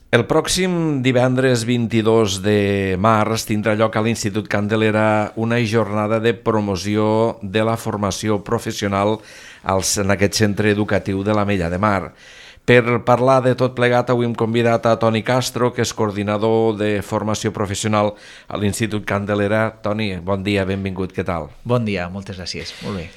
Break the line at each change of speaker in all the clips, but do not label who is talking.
El pròxim divendres 22 de març tindrà lloc a l'Institut Candelera una jornada de promoció de la formació professional en aquest centre educatiu de l'Ametlla de Mar. Per parlar de tot plegat, avui hem convidat a Toni Castro, que és coordinador de formació professional a l'Institut Candelera. Toni, bon dia, benvingut, què tal?
Bon dia, moltes gràcies, molt bé.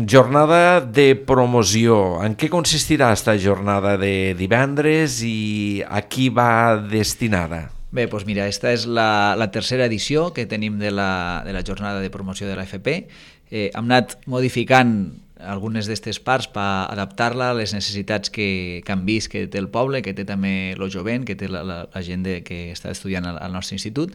Jornada de promoció. En què consistirà aquesta jornada de divendres i a qui va destinada?
Bé, doncs mira, esta és la tercera edició que tenim de la jornada de promoció de l'AFP. Hem anat modificant algunes d'aquestes parts per adaptar-la a les necessitats que han vist que té el poble, que té també el jovent, que té la gent que està estudiant al nostre institut.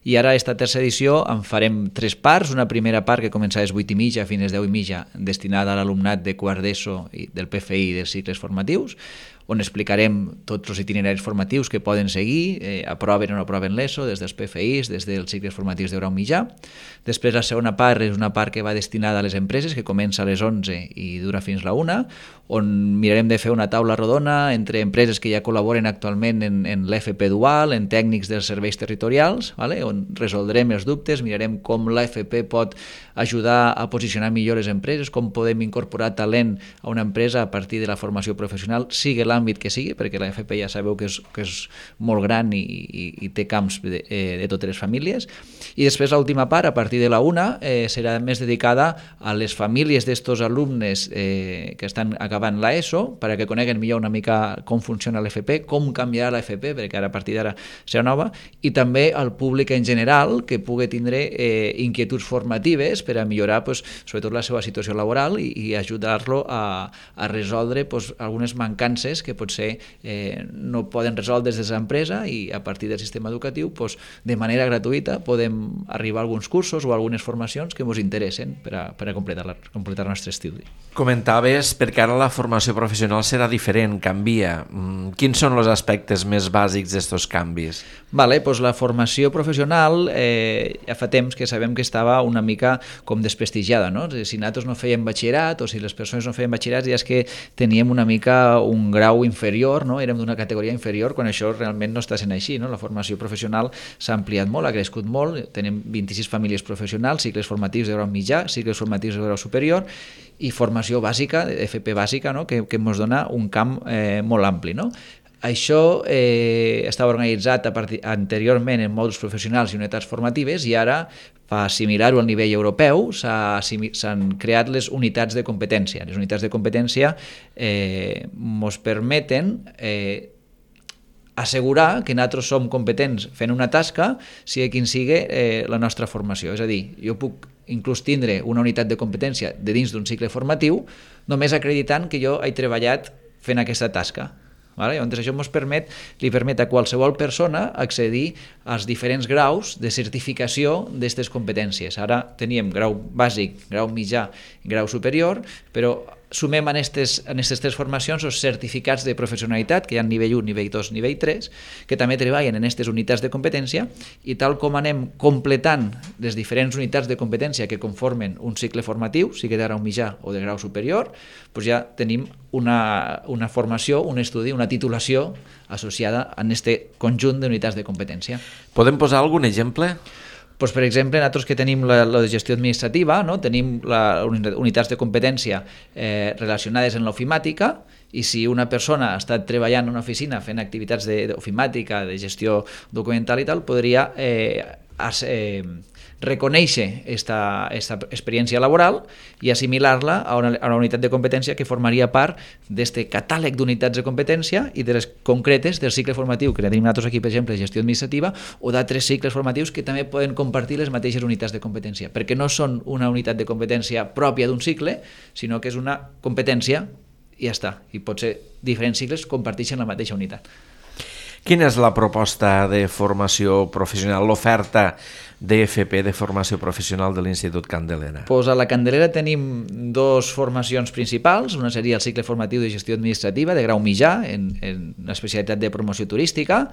I ara, aquesta tercera edició, en farem 3 parts. Una primera part que comença a les 8:30 fins a les 10:30, destinada a l'alumnat de quart d'ESO, del PFI i dels cicles formatius, on explicarem tots els itineraris formatius que poden seguir, aproven o no aproven l'ESO, des dels PFIs, des dels cicles formatius de grau mitjà. Després, la segona part és una part que va destinada a les empreses, que comença a les 11 i dura fins a la 1, on mirarem de fer una taula rodona entre empreses que ja col·laboren actualment en l'FP dual, en tècnics dels serveis territorials, on resoldrem els dubtes, mirarem com l'AFP pot ajudar a posicionar millor les empreses, com podem incorporar talent a una empresa a partir de la formació professional, sigui l'àmbit que sigui, perquè l'AFP ja sabeu que és molt gran i té camps de totes les famílies. I després l'última part, a partir de la 1, serà més dedicada a les famílies d'estos alumnes que estan acabant l'ESO, perquè coneguen millor una mica com funciona l'AFP, com canviarà l'AFP, perquè ara a partir d'ara serà nova, i també al públic en general que pugui tindre inquietuds formatives per a millorar sobretot la seva situació laboral i ajudar-lo a resoldre algunes mancances que potser no poden resoldre des de l'empresa, i a partir del sistema educatiu de manera gratuïta podem arribar a alguns cursos o algunes formacions que ens interessen per a completar el nostre estudi.
Comentaves perquè ara la formació professional serà diferent, canvia. Quins són els aspectes més bàsics d'aquests canvis?
La formació professional ja fa temps que sabem que estava una mica com desprestigiada, no? Si nosaltres no fèiem batxillerat o si les persones no feien batxillerat ja és que teníem una mica un grau inferior, no? Érem d'una categoria inferior, quan això realment no està sent així, no? La formació professional s'ha ampliat molt, ha crescut molt, tenim 26 famílies professionals, cicles formatius de grau mitjà, cicles formatius de grau superior i formació bàsica, FP bàsica, no? que ens dona un camp molt ampli, no? Això estava organitzat anteriorment en mòduls professionals i unitats formatives, i ara, per assimilar-ho al nivell europeu, s'han creat les unitats de competència. Les unitats de competència ens permeten assegurar que nosaltres som competents fent una tasca, sigui quin sigui la nostra formació. És a dir, jo puc inclús tindre una unitat de competència de dins d'un cicle formatiu només acreditant que jo he treballat fent aquesta tasca. Llavors això li permet a qualsevol persona accedir als diferents graus de certificació d'aquestes competències. Ara teníem grau bàsic, grau mitjà i grau superior, però sumem en aquestes 3 formacions els certificats de professionalitat, que hi ha nivell 1, nivell 2, nivell 3, que també treballen en aquestes unitats de competència, i tal com anem completant les diferents unitats de competència que conformen un cicle formatiu, sigui de grau mitjà o de grau superior, ja tenim una formació, un estudi, una titulació associada a aquest conjunt d'unitats de competència.
Podem posar algun exemple?
Per exemple, nosaltres que tenim la de gestió administrativa, tenim unitats de competència relacionades amb l'ofimàtica, i si una persona ha estat treballant en una oficina fent activitats d'ofimàtica, de gestió documental i tal, podria reconèixer aquesta experiència laboral i assimilar-la a una unitat de competència que formaria part d'aquest catàleg d'unitats de competència i de les concretes del cicle formatiu que tenim nosaltres aquí, per exemple, gestió administrativa, o d'altres cicles formatius que també poden compartir les mateixes unitats de competència, perquè no són una unitat de competència pròpia d'un cicle, sinó que és una competència i ja està, i potser diferents cicles comparteixen la mateixa unitat.
Quina és la proposta de formació professional, l'oferta d'EFP, de formació professional de l'Institut Candelera?
Pues a la Candelera tenim dos formacions principals. Una seria el cicle formatiu de gestió administrativa de grau mitjà en l'especialitat de promoció turística,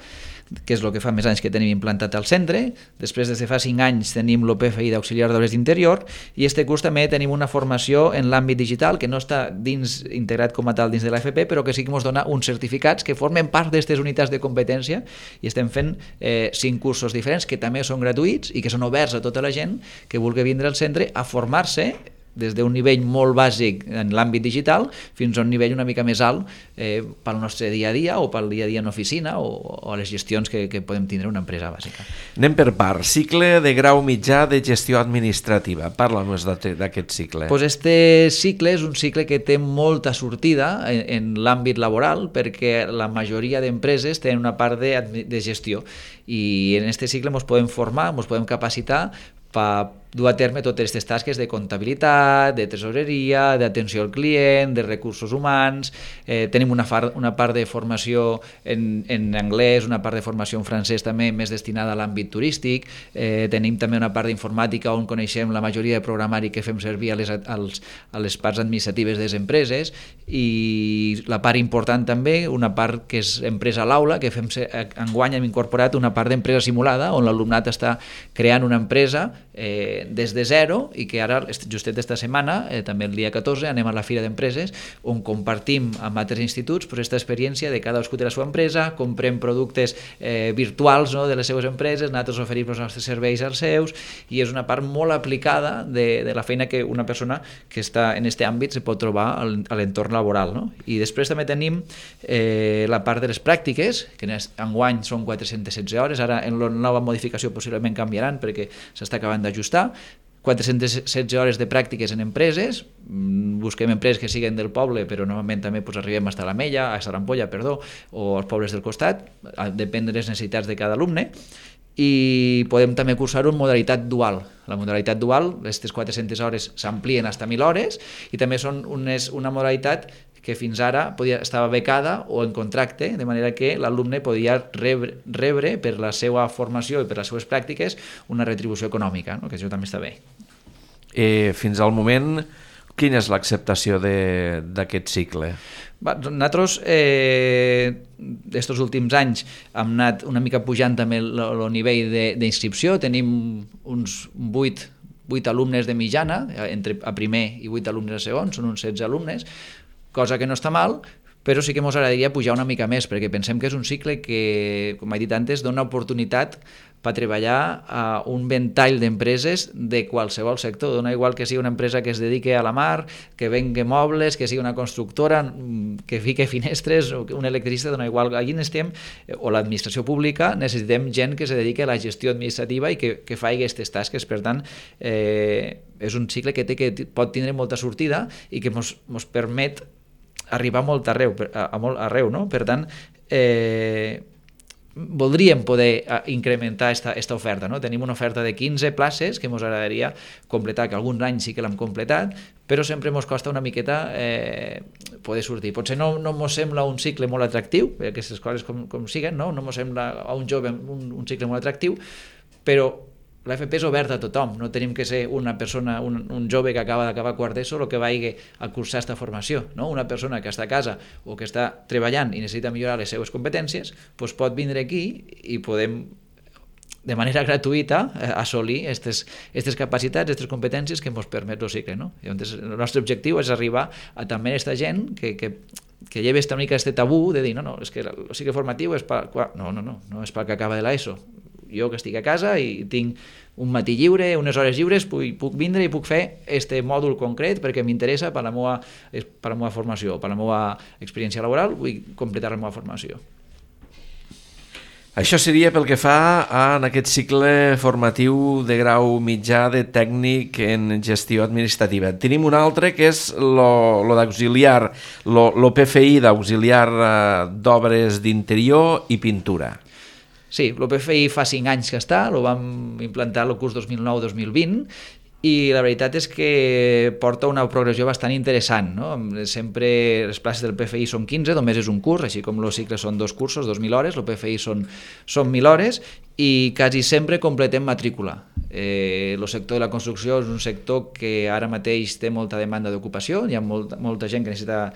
que és el que fa més anys que tenim implantat al centre. Després, des de fa 5 anys, tenim l'OPFI d'auxiliar d'obres d'interior, i este curs també tenim una formació en l'àmbit digital que no està integrat com a tal dins de l'AFP, però que sí que ens dona uns certificats que formen part d'aquestes unitats de competència, i estem fent 5 cursos diferents que també són gratuïts i que són oberts a tota la gent que vulgui vindre al centre a formar-se des d'un nivell molt bàsic en l'àmbit digital fins a un nivell una mica més alt pel nostre dia a dia o pel dia a dia en oficina o a les gestions que podem tindre una empresa bàsica.
Anem per part. Cicle de grau mitjà de gestió administrativa. Parla'ns d'aquest cicle.
Pues este cicle és un cicle que té molta sortida en l'àmbit laboral, perquè la majoria d'empreses tenen una part de gestió, i en este cicle ens podem formar, ens podem capacitar per dur a terme totes aquestes tasques de comptabilitat, de tresoreria, d'atenció al client, de recursos humans. Tenim una part de formació en anglès, una part de formació en francès també més destinada a l'àmbit turístic. Tenim també una part d'informàtica on coneixem la majoria de programari que fem servir a les parts administratives de les empreses, i la part important també, una part que és empresa a l'aula, que enguany hem incorporat una part d'empresa simulada on l'alumnat està creant una empresa des de zero, i que ara, justet esta setmana, també el dia 14, anem a la Fira d'Empreses, on compartim amb altres instituts aquesta experiència de cadascú de la seva empresa, comprem productes virtuals de les seves empreses, nosaltres oferim els nostres serveis als seus, i és una part molt aplicada de la feina que una persona que està en aquest àmbit se pot trobar a l'entorn laboral. I després també tenim la part de les pràctiques, que enguany són 416 hores, ara en la nova modificació possiblement canviaran perquè s'està acabant d'ajustar. 416 hores de pràctiques en empreses. Busquem empreses que siguin del poble, però normalment també arribem a l'Ametlla, a Sarampolla, o als pobles del costat, depèn de les necessitats de cada alumne, i podem també cursar-ho en modalitat dual. La modalitat dual, aquestes 400 hores s'amplien fins a 1.000 hores, i també són una modalitat que fins ara estava becada o en contracte, de manera que l'alumne podia rebre per la seva formació i per les seves pràctiques una retribució econòmica, que això també està bé.
Fins al moment, quina és l'acceptació d'aquest cicle?
Nosaltres, aquests últims anys, hem anat una mica pujant també el nivell d'inscripció. Tenim uns 8 alumnes de mitjana, a primer i 8 alumnes a segon, són uns 16 alumnes, cosa que no està mal, però sí que ens agradaria pujar una mica més, perquè pensem que és un cicle que, com he dit antes, dona oportunitat per treballar a un ventall d'empreses de qualsevol sector. Dona igual que sigui una empresa que es dediqui a la mar, que vengui mobles, que sigui una constructora, que fique finestres, o un electricista, dona igual. Allí necessitem, o l'administració pública, necessitem gent que se dediqui a la gestió administrativa i que faci aquestes tasques. Per tant, és un cicle que pot tindre molta sortida i que ens permet arribar molt arreu, no? Per tant, voldríem poder incrementar aquesta oferta, no? Tenim una oferta de 15 places que ens agradaria completar, que alguns anys sí que l'hem completat, però sempre ens costa una miqueta poder sortir. Potser no ens sembla un cicle molt atractiu, aquestes coses com siguen, no ens sembla a un jove un cicle molt atractiu, però l'AFP és oberta a tothom, no tenim que ser una persona, un jove que acaba d'acabar quart d'ESO o que vagi a cursar aquesta formació, no? Una persona que està a casa o que està treballant i necessita millorar les seves competències, doncs pot vindre aquí i podem de manera gratuïta assolir aquestes capacitats, aquestes competències que ens permet el cicle, no? Llavors, el nostre objectiu és arribar a també aquesta gent que lleva una mica aquest tabú de dir no, és que el cicle formatiu és per... No és pel que acaba de l'ESO. Jo que estic a casa i tinc un matí lliure, unes hores lliures, puc vindre i puc fer aquest mòdul concret perquè m'interessa per la meva formació, per la meva experiència laboral, vull completar la meva formació.
Això seria pel que fa en aquest cicle formatiu de grau mitjà de tècnic en gestió administrativa. Tenim un altre que és lo d'auxiliar, lo PFI d'auxiliar d'obres d'interior i pintura.
Sí, l'OPFI fa 5 anys que està, el vam implantar el curs 2009-2020 i la veritat és que porta una progressió bastant interessant, no? Sempre les places del PFI són 15, només és un curs, així com el cicle són 2 cursos, 2.000 hores, el PFI són 1.000 hores i quasi sempre completem matrícula. El sector de la construcció és un sector que ara mateix té molta demanda d'ocupació, hi ha molta gent que necessita,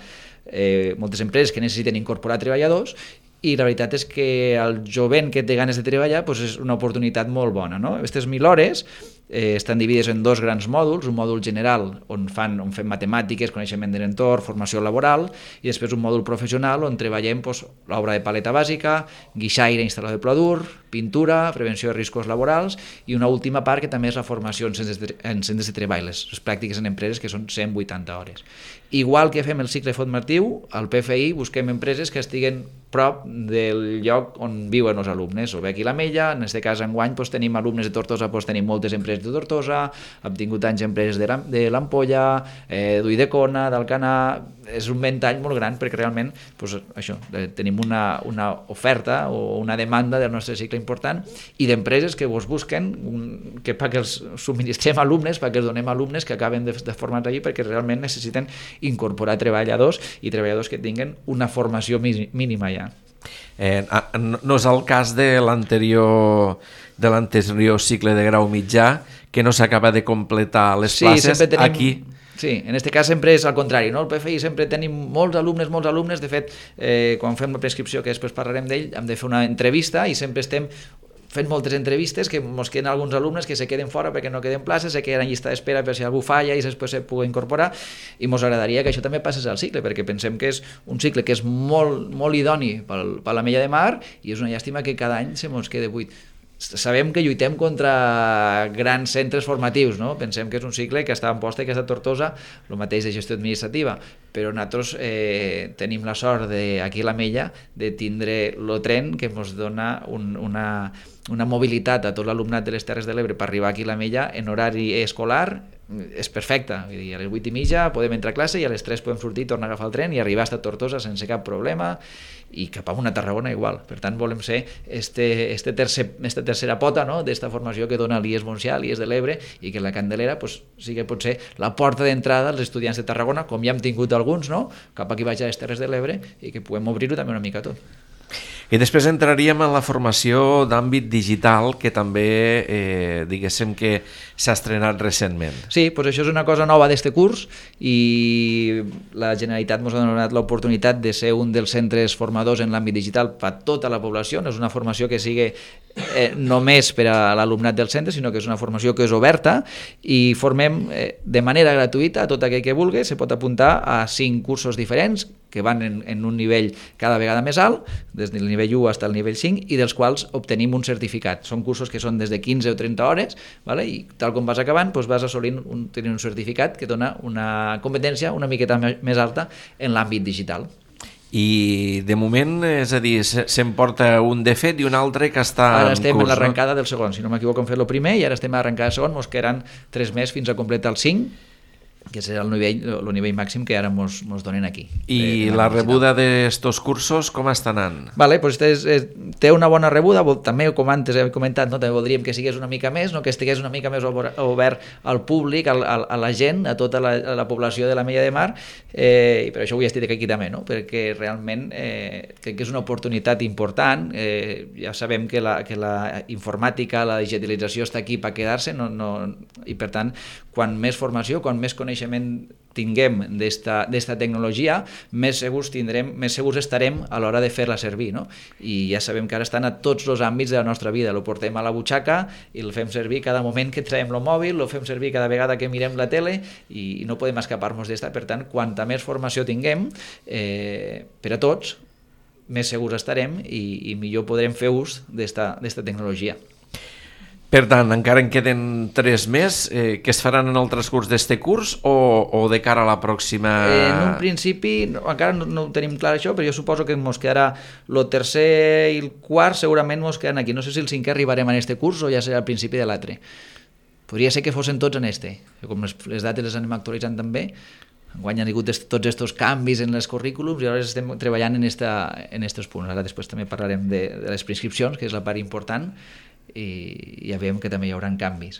moltes empreses que necessiten incorporar treballadors, i la veritat és que el jovent que té ganes de treballar és una oportunitat molt bona. Aquestes 1.000 hores estan dividides en 2 grans mòduls, un mòdul general on fem matemàtiques, coneixement de l'entorn, formació laboral, i després un mòdul professional on treballem l'obra de paleta bàsica, guixaire, instal·lador de pla dur, pintura, prevenció de riscos laborals, i una última part que també és la formació en centres de treball, les pràctiques en empreses, que són 180 hores. Igual que fem el cicle formatiu, al PFI busquem empreses que estiguen prop del lloc on viuen els alumnes, o bé aquí a l'Ametlla, en aquest cas enguany tenim alumnes de Tortosa, tenim moltes empreses de Tortosa, hem tingut anys empreses de l'Ampolla, d'Ulldecona, d'Alcanar, és un ventall molt gran perquè realment això, tenim una oferta o una demanda del nostre cicle important i d'empreses que vos busquen perquè els subministrem alumnes, perquè els donem alumnes que acaben de formar-se allí perquè realment necessiten incorporar treballadors i treballadors que tinguen una formació mínima ja.
No és el cas de l'anterior cicle de grau mitjà, que no s'acaba de completar les places aquí.
Sí, en aquest cas sempre és al contrari, no? El PFI sempre tenim molts alumnes, de fet, quan fem la prescripció, que després parlarem d'ell, hem de fer una entrevista i sempre estem fent moltes entrevistes que ens queden alguns alumnes que se queden fora perquè no queden places, se queden en llista d'espera per si algú falla i després se pugui incorporar, i ens agradaria que això també passés al cicle, perquè pensem que és un cicle que és molt idoni per l'Ametlla de Mar i és una llàstima que cada any se ens quede buit. Sabem que lluitem contra grans centres formatius, no? Pensem que és un cicle que està en Amposta i que està a Tortosa, el mateix de gestió administrativa, però nosaltres tenim la sort aquí a l'Ametlla de tindre el tren que ens dona una mobilitat a tot l'alumnat de les Terres de l'Ebre per arribar aquí a l'Ametlla en horari escolar és perfecta. Vull dir, a les 8:30 podem entrar a classe i a les 3 podem sortir, tornar a agafar el tren i arribar a Tortosa sense cap problema, i cap a una Tarragona igual. Per tant, volem ser esta tercera pota, no?, d'esta formació que dona l'IES Montsià, l'IES de l'Ebre, i que la Candelera sí que pot ser la porta d'entrada als estudiants de Tarragona, com ja hem tingut alguns, no?, cap aquí baix a les Terres de l'Ebre, i que puguem obrir-ho també una mica tot.
I després entraríem en la formació d'àmbit digital, que també, diguéssim que s'ha estrenat recentment.
Sí, doncs això és una cosa nova d'aquest curs i la Generalitat ens ha donat l'oportunitat de ser un dels centres formadors en l'àmbit digital per a tota la població. No és una formació que sigui només per a l'alumnat del centre, sinó que és una formació que és oberta i formem de manera gratuïta a tot aquell que vulgui. Se pot apuntar a 5 cursos diferents que van en un nivell cada vegada més alt, des del nivell 1 fins al nivell 5, i dels quals obtenim un certificat. Són cursos que són des de 15 o 30 hores, ¿vale? I tal com vas acabant, doncs vas assolint tenir un certificat que dona una competència una miqueta més alta en l'àmbit digital.
I de moment, és a dir, se'n porta un de fet i un altre que està en curs.
Ara estem en l'arrencada del segon, si no m'equivoco hem fet el primer i ara estem a l'arrencada del segon, ens quedaran 3 més fins a completar el 5, que serà el nivell màxim que ara ens donen aquí.
I la rebuda d'estos cursos com està anant?
Vale, pues té una bona rebuda, també com antes he comentat, no? També voldríem que sigués una mica més, no? Que estigués una mica més obert al públic, a la gent, a tota la població de l'Ametlla de Mar, i per això avui estic aquí també, no? Perquè realment crec que és una oportunitat important. Ja sabem que la informàtica, la digitalització està aquí per quedar-se, i per tant, quan més formació, quan més coneixement tinguem d'esta tecnologia, més segurs estarem a l'hora de fer-la servir, no? I ja sabem que ara estan a tots els àmbits de la nostra vida, el portem a la butxaca i el fem servir cada moment que traiem el mòbil, el fem servir cada vegada que mirem la tele i no podem escapar-nos d'esta. Per tant, quanta més formació tinguem per a tots, més segurs estarem i millor podrem fer ús d'esta tecnologia.
Per tant, encara en queden 3 més que es faran en el transcurs d'aquest curs o de cara a la pròxima?
En un principi, encara no ho tenim clar això, però jo suposo que ens quedarà el tercer i el quart, segurament ens quedaran aquí. No sé si el 5è arribarem en aquest curs o ja serà al principi de l'altre. Podria ser que fossin tots en este. Com les dates les anem actualitzant també, enguany han hagut tots aquests canvis en els currículums i ara estem treballant en aquests punts. Ara després també parlarem de les prescripcions, que és la part important, i ja veiem que també hi haurà canvis.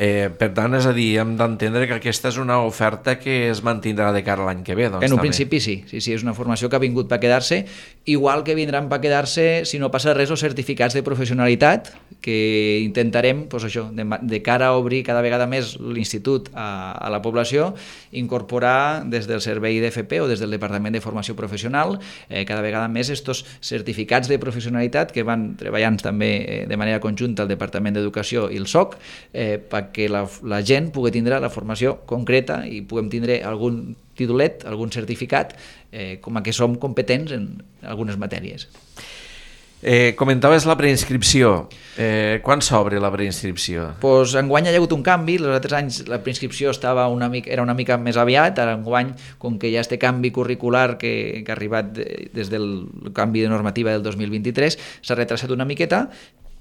Per tant, és a dir, hem d'entendre que aquesta és una oferta que es mantindrà de cara a l'any que ve. Doncs,
en un
també.
principi sí, és una formació que ha vingut per quedar-se, igual que vindran per quedar-se, si no passa res, els certificats de professionalitat, que intentarem, doncs això, de cara a obrir cada vegada més l'institut a la població, incorporar des del servei d'FP o des del Departament de Formació Professional cada vegada més estos certificats de professionalitat que van treballant també de manera conjunta el Departament d'Educació i el SOC perquè la gent pugui tindre la formació concreta i puguem tindre algun titulet, algun certificat, com a que som competents en algunes matèries.
Comentaves la preinscripció. Quan s'obre la preinscripció?
Pues enguany hi ha hagut un canvi, els altres anys la preinscripció era una mica més aviat, ara enguany, com que hi ha este canvi curricular que ha arribat des del canvi de normativa del 2023, s'ha retrasat una miqueta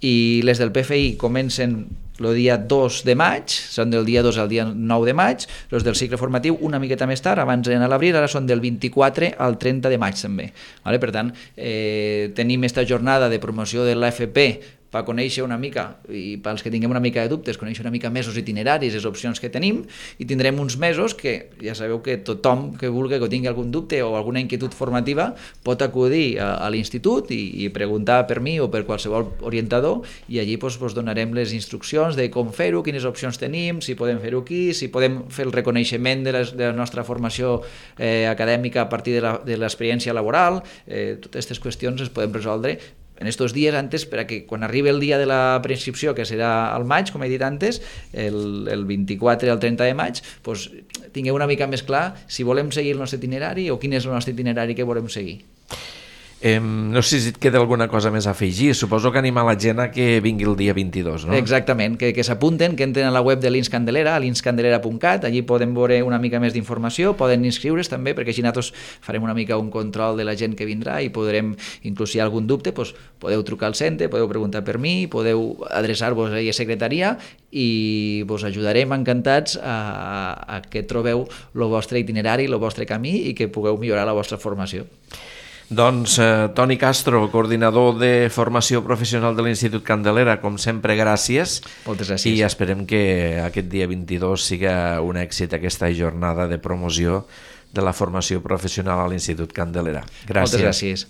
i les del PFI comencen el dia 2 de maig, són del dia 2 al dia 9 de maig, els del cicle formatiu una miqueta més tard, abans eren a l'abril, ara són del 24 al 30 de maig també. Vale? Per tant, tenim esta jornada de promoció de l'AFP per conèixer una mica, i pels que tinguem una mica de dubtes, conèixer una mica més els itineraris, les opcions que tenim, i tindrem uns mesos que ja sabeu que tothom que vulgui que tingui algun dubte o alguna inquietud formativa pot acudir a l'institut i preguntar per mi o per qualsevol orientador, i allí doncs, donarem les instruccions de com fer-ho, quines opcions tenim, si podem fer-ho aquí, si podem fer el reconeixement de la nostra formació acadèmica a partir de l'experiència laboral, totes aquestes qüestions les podem resoldre en estos dies antes, perquè quan arribi el dia de la preinscripció, que serà al maig, com he dit antes, el 24 al 30 de maig, doncs, tingueu una mica més clar si volem seguir el nostre itinerari o quin és el nostre itinerari que volem seguir.
No sé si et queda alguna cosa més a afegir. Suposo que animar la gent a que vingui el dia 22, no?
Exactament, que s'apunten, que entren a la web de l'Ins Candelera, a linscandelera.cat, allí poden veure una mica més d'informació, poden inscriure's també, perquè així nosaltres farem una mica un control de la gent que vindrà i podrem, inclús si hi ha algun dubte, doncs, podeu trucar al centre, podeu preguntar per mi, podeu adreçar-vos a la secretaria i vos ajudarem encantats a que trobeu el vostre itinerari, el vostre camí i que pugueu millorar la vostra formació.
Doncs Toni Castro, coordinador de formació professional de l'Institut Candelera, com sempre, gràcies.
Moltes gràcies.
I esperem que aquest dia 22 siga un èxit aquesta jornada de promoció de la formació professional a l'Institut Candelera. Gràcies.
Moltes gràcies.